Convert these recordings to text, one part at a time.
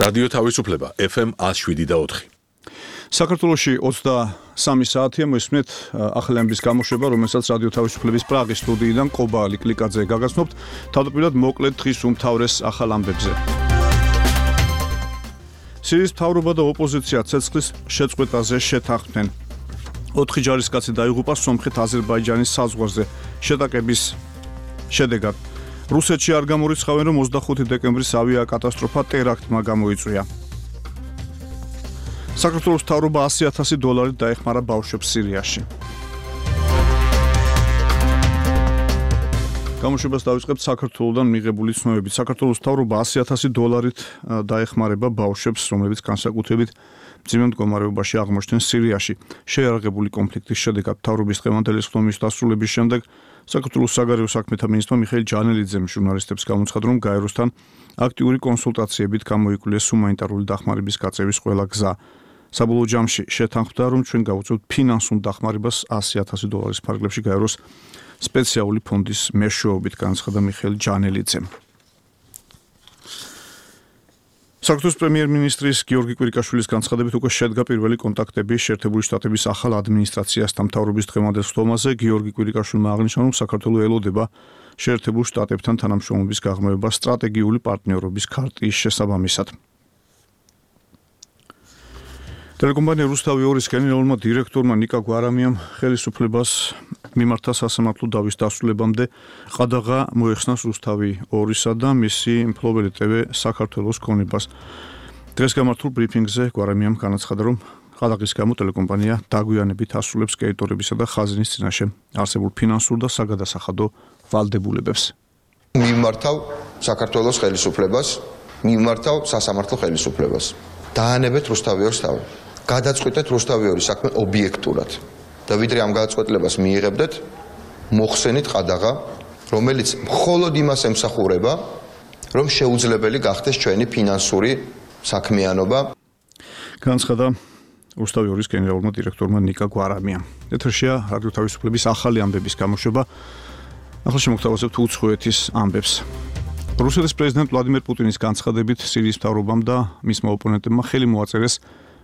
რადიო თავისუფლება FM 107.4. საქართველოში 23 საათია მოსმენთ ახალამბის გამოშვება, რომელსაც რადიო თავისუფლების პრაღის სტუდიიდან ყობა ლიკლიკაძე გაგაცნობთ. თავდაპირველად მოკლედ დღის უმთავრეს ახალ ამბებზე. სირიის მთავრობა და ოპოზიცია ცეცხლის შეწყვეტაზე შეთანხმდნენ. 4 ჯარისკაცი დაიღუპა სომხეთ-აზერბაიჯანის საზღვარზე შეტაკების შედეგად. რუსეთში არ გამორიცხავენ, რომ 25 დეკემბრის ავიაკატასტროფა ტერაქტმა გამოიწვია. საქართველოს მთავრობა $100,000 დაეხმარა ბავშვებს სირიაში. გამოშვებას დავიწყებთ საქართველოსდან მიღებული ცნობებით. საქართველოს მთავრობა $100,000 დაეხმარება ბავშვებს, რომლებიც განსაკუთრებით მძიმე მდგომარეობაში აღმოჩნდნენ სირიაში. შეიარაღებული კონფლიქტის შედეგად მთავრობის დღევანდელი ხდომის დასრულების შემდეგ საქართველოს საგარეო საქმეთა მინისტრმა მიხეილ ჯანელიძემ ჟურნალისტებს გამოცხადა, რომ გაეროსთან აქტიური კონსულტაციებით გამოიკვლია ჰუმანიტარული დახმარების გაწევის ყველა გზა. საბოლოო ჯამში შეთანხმდა, რომ ჩვენ გავუწევთ ფინანსურ დახმარებას $100,000 ფარგლებში გაეროს სპეციალური ფონდის მეშვეობით, განაცხადა მიხეილ ჯანელიძემ. საქართველოს პრემიერ-მინისტრის გიორგი კვირიკაშვილის განცხადებით უკვე შედგა პირველი კონტაქტები შეერთებული შტატების ახალ ადმინისტრაციასთან მთავრობის დღევანდელ ხდომაზე. გიორგი კვირიკაშვილმა აღნიშნა, რომ საქართველოს ელოდება შეერთებულ შტატებთან თანამშრომლობის გაღრმავება სტრატეგიული პარტნიორობის ქარტიის შესაბამისად. ტელეკომპანია რუსთავი 2-ის გენერალურმა დირექტორმა ნიკა გვარამიამ ხელისუფლებას მიმართა სასამართლო დავის დასრულებამდე ყადაღა მოეხსნას რუსთავი 2-სა და მისი მფლობელი ტევ საქართველოს ქონებას. დღეს გამართულ ბრიფინგზე გვარამიამ განაცხადა, რომ ყადაღის გამო ტელეკომპანია დაგვიანებით ასრულებს კრედიტორებისა და ხაზინის წინაშე არსებულ ფინანსურ და საგადასახადო ვალდებულებებს. მიმართავ საქართველოს ხელისუფლებას, მიმართავ სასამართლო ხელისუფლებას. დაანებეთ რუსთავი 2-ს თავი. გადაწყვეტეთ რუსთავი 2-ის საქმე ობიექტურად. და ვიდრე ამ გადაწყვეტილებას მიიღებდეთ, მოხსენით ყადაღა, რომელიც მხოლოდ იმას ემსახურება, რომ შეუძლებელი გახდეს ჩვენი ფინანსური საქმიანობა. განაცხადა რუსთავი 2-ის გენერალურმა დირექტორმა ნიკა გვარამიამ. ეთერშია რადიო თავისუფლების ახალი ამბების გამოშვება. ახლა შემოგთავაზებთ უცხოეთის ამბებს. რუსეთის პრეზიდენტ ვლადიმერ პუტინის განცხადებით სირიის მთავრობამ და მისმა ოპონენტებმა ხელი მოაწერეს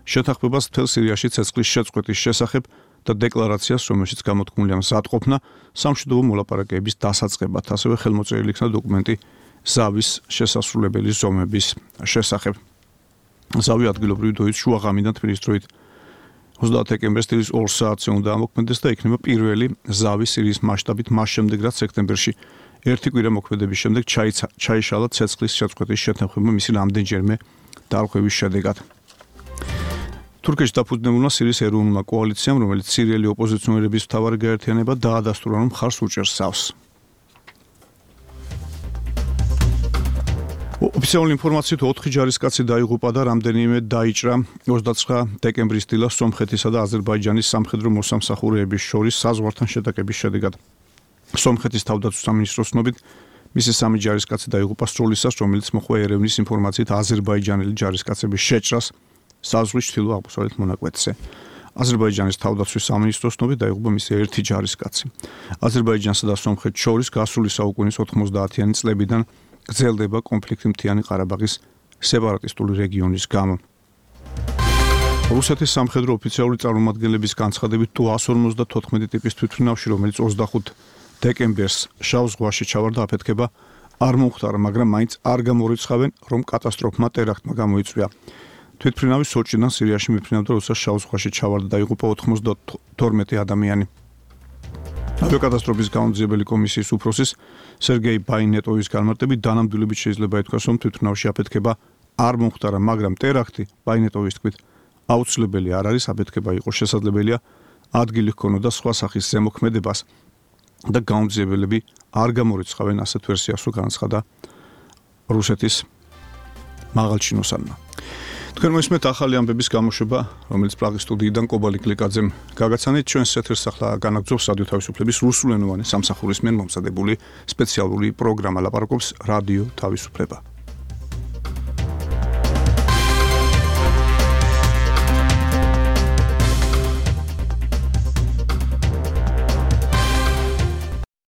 შეთანხმებას მთელ სირიაში ცეცხლის შეწყვეტის შესახებ და დეკლარაციას, რომელშიც გამოთქმულია მზადყოფნა სამშვიდობო მოლაპარაკებების დასაწყებად, ასევე ხელმოწერილი იქნა დოკუმენტი ზავის შესასრულებელი ზომების შესახებ. ზავი ადგილობრივი დროით შუაღამიდან თბილისის დროით 30 დეკემბერს დილის 2 საათზე უნდა ამოქმედდეს და იქნება პირველი ზავი სირიის მასშტაბით მას შემდეგ, რაც სექტემბერში ერთი კვირა მოქმედების შემდეგ ჩაიშალა ცეცხლის შეწყვეტის შეთანხმება მისი რამდენჯერმე დარღვევის შედეგად. თურქეთში დაფუძნებულმა სირიის ეროვნულმა კოალიციამ, რომელიც სირიელი ოპოზიციონერების მთავარი გაერთიანება, დაადასტურა, რომ მხარს უჭერს ზავს. ოფიციალური ინფორმაციით 4 ჯარისკაცი დაიღუპა და რამდენიმე დაიჭრა 29 დეკემბრის დილას სომხეთისა და აზერბაიჯანის სამხედრო მოსამსახურეების შორის საზღვართან შეტაკების შედეგად. სომხეთის თავდაცვის სამინისტროს ცნობით, მისი 3 ჯარისკაცი დაიღუპა სროლისას, რომელიც მოჰყვა ერევნის ინფორმაციით აზერბაიჯანელი ჯარისკაცების შეჭრას საზღვრის ჩრდილო-აღმოსავლეთ მონაკვეთზე. აზერბაიჯანის თავდაცვის სამინისტროს ცნობით დაიღუპა მისი ერთი ჯარისკაცი. აზერბაიჯანსა და სომხეთს შორის გასული საუკუნის 90-იანი წლებიდან გრძელდება კონფლიქტი მთიანი ყარაბაღის სეპარატისტული რეგიონის გამო. რუსეთის სამხედრო ოფიციალური წარმომადგენლების განცხადებით Tu-154 ტიპის თვითმფრინავში, რომელიც 25 დეკემბერს შავ ზღვაში ჩავარდა, აფეთქება არ მომხდარა, მაგრამ მაინც არ გამორიცხავენ, რომ კატასტროფმა ტერაქტმა გამოიწვია. თვითმფრინავი სოჭიდან სირიაში მიფრინავდა, როდესაც შავ ზღვაში ჩავარდა, დაიღუპა 92 ადამიანი. ავიაკატასტროფის გამომძიებელი კომისიის უფროსის სერგეი ბაინეტოვის განმარტებით დანამდვილებით შეიძლება ითქვას, რომ თვითმფრინავში აფეთქება არ მომხდარა, მაგრამ ტერაქტი ბაინეტოვის თქმით აუცილებელი არ არის, აფეთქება იყო შესაძლებელია, ადგილი ჰქონოდა სხვა სახის ზემოქმედებას და გამომძიებელები არ გამორიცხავენ, ასეთ ვერსიას განაცხადა რუსეთის მაღალჩინოსანმა. თქვენ მოსმენთ ახალი ამბების გამოშვება, რომელიც პრაღის სტუდიიდან ყობა ლიკლიკაძემ გაგაცანით. ჩვენს ეთერს ახლა განაგრძობს რადიო თავისუფლების რუსულენოვანი სამსახურის მიერ მომზადებული სპეციალური პროგრამა, ლაპარაკობს რადიო თავისუფლება.